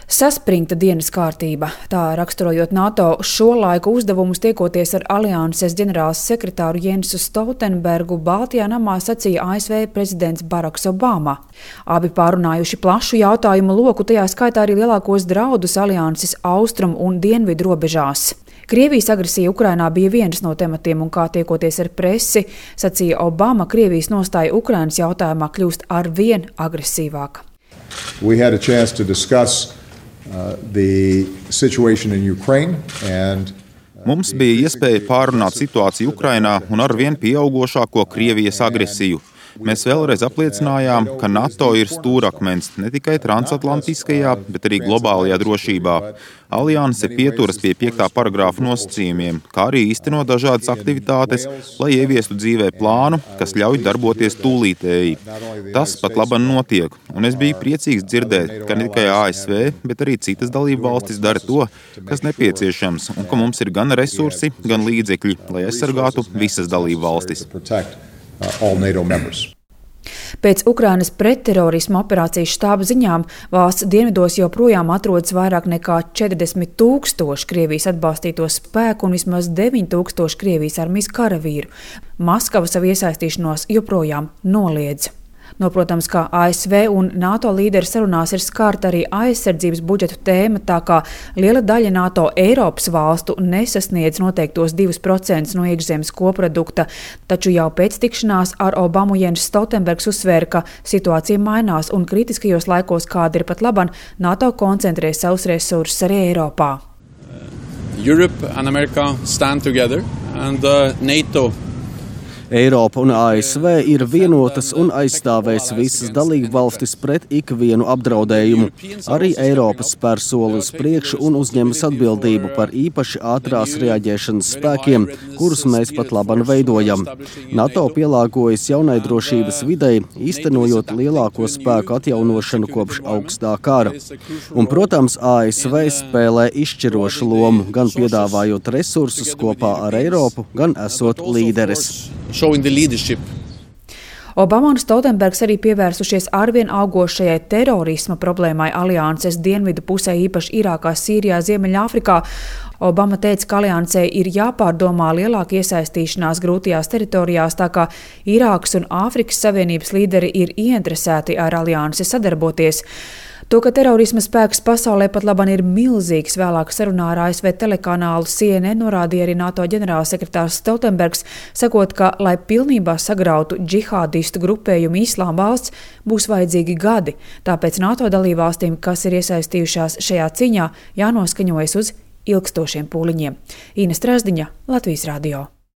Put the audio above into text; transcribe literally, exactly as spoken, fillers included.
Saspringta dienas kārtība, tā raksturojot NATO šo laiku uzdevumus tiekoties ar alianses ģenerāls sekretāru Jensu Stoltenbergu, Baltijā namā sacīja A S V prezidents Baraks Obama. Abi pārunājuši plašu jautājumu loku, tajā skaitā arī lielākos draudus alianses austrumu un dienvidu robežās. Krievijas agresija Ukrainā bija viens no tematiem, un kā tiekoties ar presi, sacīja Obama, Krievijas nostāja Ukrainas jautājumā kļūst arvien agresīvāka. We had a chance to discuss uh, the situation in Ukraine and Mums bija iespēja pārunāt situāciju Ukrainā un arvien pieaugošāko Krievijas agresiju. Mēs vēlreiz apliecinājām, ka NATO ir stūrakmens ne tikai transatlantiskajā, bet arī globālajā drošībā. Alianse pieturas pie piektā paragrāfa nosacījumiem, kā arī īsteno dažādas aktivitātes, lai ieviestu dzīvē plānu, kas ļauj darboties tūlītēji. Tas pat laban notiek, un es biju priecīgs dzirdēt, ka ne tikai A S V, bet arī citas dalību valstis dara to, kas nepieciešams, un ka mums ir gan resursi, gan līdzekļi, lai aizsargātu visas dalību valstis. Pēc Ukrainas pretterorisma operācijas štāba ziņām valsts dienvidos joprojām atrodas vairāk nekā četrdesmit tūkstoši Krievijas atbalstīto spēku un vismaz deviņi tūkstoši Krievijas armijas karavīru. Maskava savu iesaistīšanos joprojām noliedz. Noprotams, ka A S V un NATO līderi sarunās ir skārta arī aizsardzības budžetu tēma, tā kā liela daļa NATO Eiropas valstu nesasniedz noteiktos divus procentus no iekšzemes koprodukta, taču jau pēc tikšanās ar Obamu Jens Stoltenbergs uzsvēra, ka situācija mainās un kritiskajos laikos, kāda ir pat laban, NATO koncentrē savus resursus arī Eiropā. Europe and America stand together and uh, NATO Eiropa un A S V ir vienotas un aizstāvēs visas dalību valstis pret ikvienu apdraudējumu. Arī Eiropa spēr soli uz priekšu un uzņemas atbildību par īpaši ātrās reaģēšanas spēkiem, kurus mēs pat laban veidojam. NATO pielāgojas jaunai drošības videi, īstenojot lielāko spēku atjaunošanu kopš augstā kara. Un, protams, A S V spēlē izšķirošu lomu, gan piedāvājot resursus kopā ar Eiropu, gan esot līderis. Obama un Stoltenbergs arī pievērsušies arvien augošajai terorisma problēmai alianses dienvidu pusē, īpaši Irākā, Sīrijā, Ziemeļāfrikā. Obama teica, ka aliansei ir jāpārdomā lielāka iesaistīšanās grūtajās teritorijās, tā kā Irākas un Āfrikas Savienības līderi ir ieinteresēti ar aliansi sadarboties. To, ka terorisma spēks pasaulē pat laban ir milzīgs, vēlāk sarunā ar A S V telekanālu C N N norādīja arī NATO ģenerālsekretārs Stoltenbergs, sakot, ka, lai pilnībā sagrautu džihādistu grupējumu Islāma valsts, būs vajadzīgi gadi. Tāpēc NATO dalībvalstīm, kas ir iesaistījušās šajā cīņā, jānoskaņojas uz ilgstošiem pūliņiem. Ina Strazdiņa, Latvijas radio.